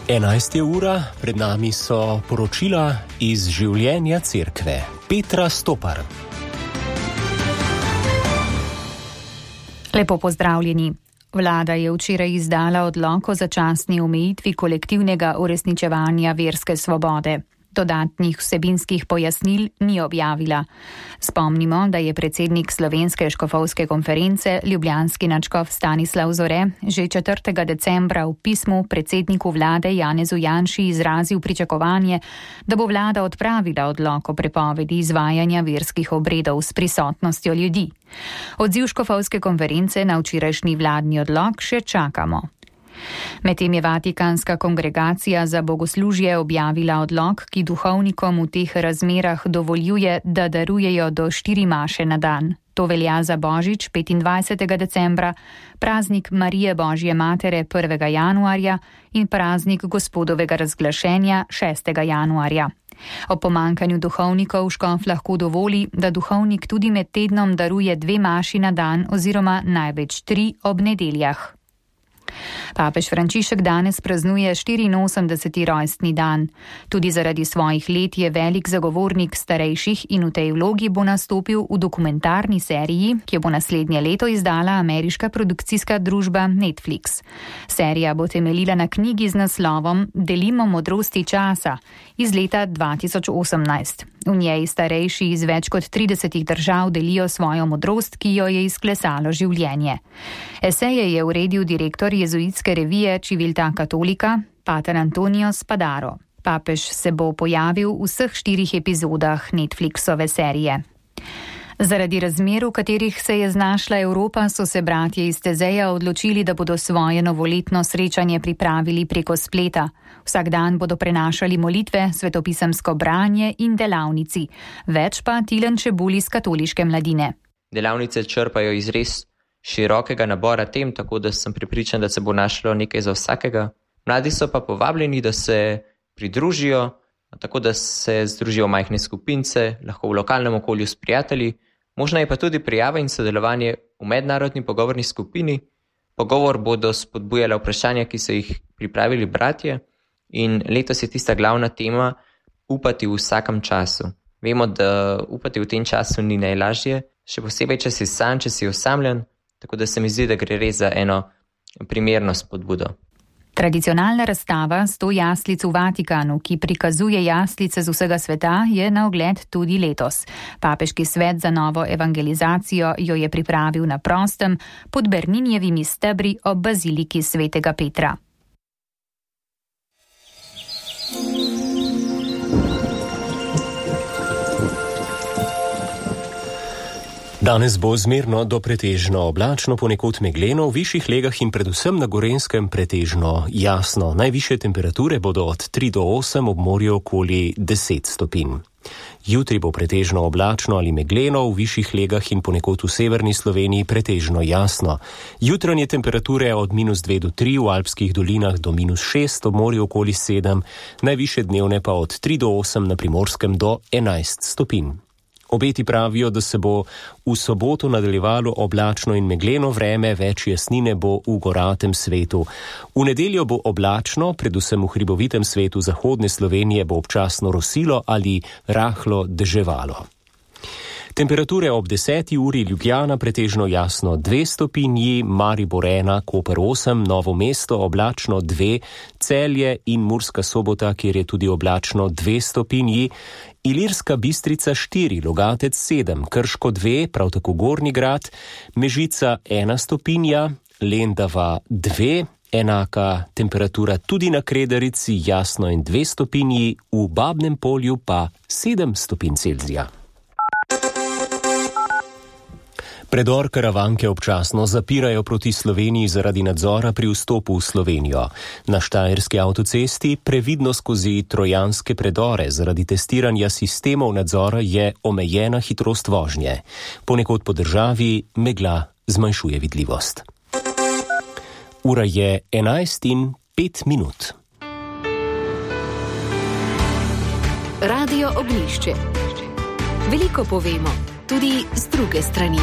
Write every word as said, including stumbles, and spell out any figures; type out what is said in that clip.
enajsta ura, pred nami so poročila iz življenja cerkve. Petra Stopar. Lepo pozdravljeni. Vlada je včeraj izdala odlok o začasni omejitvi kolektivnega uresničevanja verske svobode. Dodatnih vsebinskih pojasnil ni objavila. Spomnimo, da je predsednik Slovenske škofovske konference, ljubljanski nadškof Stanislav Zore, že četrtega decembra v pismu predsedniku vlade Janezu Janši izrazil pričakovanje, da bo vlada odpravila odlok o prepovedi izvajanja verskih obredov s prisotnostjo ljudi. Odziv škofovske konference na včerajšnji vladni odlok še čakamo. Medtem je Vatikanska kongregacija za bogoslužje objavila odlok, ki duhovnikom v teh razmerah dovoljuje, da darujejo do štiri maše na dan. To velja za Božič petindvajsetega decembra, praznik Marije Božje Matere prvega januarja in praznik Gospodovega razglašenja šestega januarja. O pomankanju duhovnikov škof lahko dovoli, da duhovnik tudi med tednom daruje dve maši na dan oziroma največ tri ob nedeljah. Papež Frančišek danes praznuje štiriinosemdeseti rojstni dan. Tudi zaradi svojih let je velik zagovornik starejših in v tej vlogi bo nastopil v dokumentarni seriji, ki jo bo naslednje leto izdala ameriška produkcijska družba Netflix. Serija bo temeljila na knjigi z naslovom Delimo modrosti časa iz leta dva tisoč osemnajst. V njej starejši iz več kot tridesetih držav delijo svojo modrost, ki jo je izklesalo življenje. Eseje je uredil direktor jezuitske revije Civiltà Cattolica, pater Antonio Spadaro. Papež se bo pojavil v vseh štirih epizodah Netflixove serije. Zaradi razmer, v katerih se je znašla Evropa, so se bratje iz Tezeja odločili, da bodo svoje novoletno srečanje pripravili preko spleta. Vsak dan bodo prenašali molitve, svetopisemsko branje in delavnici. Več pa Tilen Čebul iz Katoliške mladine. Delavnice črpajo iz res širokega nabora tem, tako da sem prepričan, da se bo našlo nekaj za vsakega. Mladi so pa povabljeni, da se pridružijo, tako da se združijo v majhne skupince, lahko v lokalnem okolju s prijatelji. Možna je pa tudi prijava in sodelovanje v mednarodni pogovorni skupini. Pogovor bodo spodbujala vprašanja, ki so jih pripravili bratje, in letos je tista glavna tema upati v vsakem času. Vemo, da upati v tem času ni najlažje, še posebej, če si sam, če si osamljen, tako da se mi zdi, da gre res za eno primerno spodbudo. Tradicionalna razstava sto jaslic v Vatikanu, ki prikazuje jaslice z vsega sveta, je na ogled tudi letos. Papeški svet za novo evangelizacijo jo je pripravil na prostem pod Berninjevimi stebri ob baziliki svetega Petra. Danes bo zmerno do pretežno oblačno, ponekod megleno, v višjih legah in predvsem na Gorenjskem pretežno jasno. Najvišje temperature bodo od tri do osem, ob morju okoli deset stopinj. Jutri bo pretežno oblačno ali megleno, v višjih legah in ponekod v severni Sloveniji pretežno jasno. Jutranje temperature od minus dve do tri, v alpskih dolinah do minus šest, ob morju okoli sedem, najvišje dnevne pa od tri do osem, na Primorskem do enajst stopinj. Obeti pravijo, da se bo v soboto nadaljevalo oblačno in megleno vreme, več jasnine bo v goratem svetu. V nedeljo bo oblačno, predvsem v hribovitem svetu zahodne Slovenije bo občasno rosilo ali rahlo deževalo. Temperature ob deseti uri Ljubljana pretežno jasno dve stopinji, Maribor ena, Koper osem, Novo mesto oblačno dve, Celje in Murska Sobota, kjer je tudi oblačno dve stopinji, Ilirska Bistrica štiri, Logatec sedem, Krško dve, prav tako Gornji Grad, Mežica ena stopinja, Lendava dve, enaka temperatura tudi na Kredarici, jasno in dve stopinji, v Babnem Polju pa sedem stopinj Celzija. Predor Karavanke občasno zapirajo proti Sloveniji zaradi nadzora pri vstopu v Slovenijo. Na štajerski avtocesti previdno skozi trojanske predore zaradi testiranja sistemov nadzora je omejena hitrost vožnje. Ponekod po državi megla zmanjšuje vidljivost. Ura je enajst in pet minut. Radio Ognjišče. Veliko povemo, tudi z druge strani.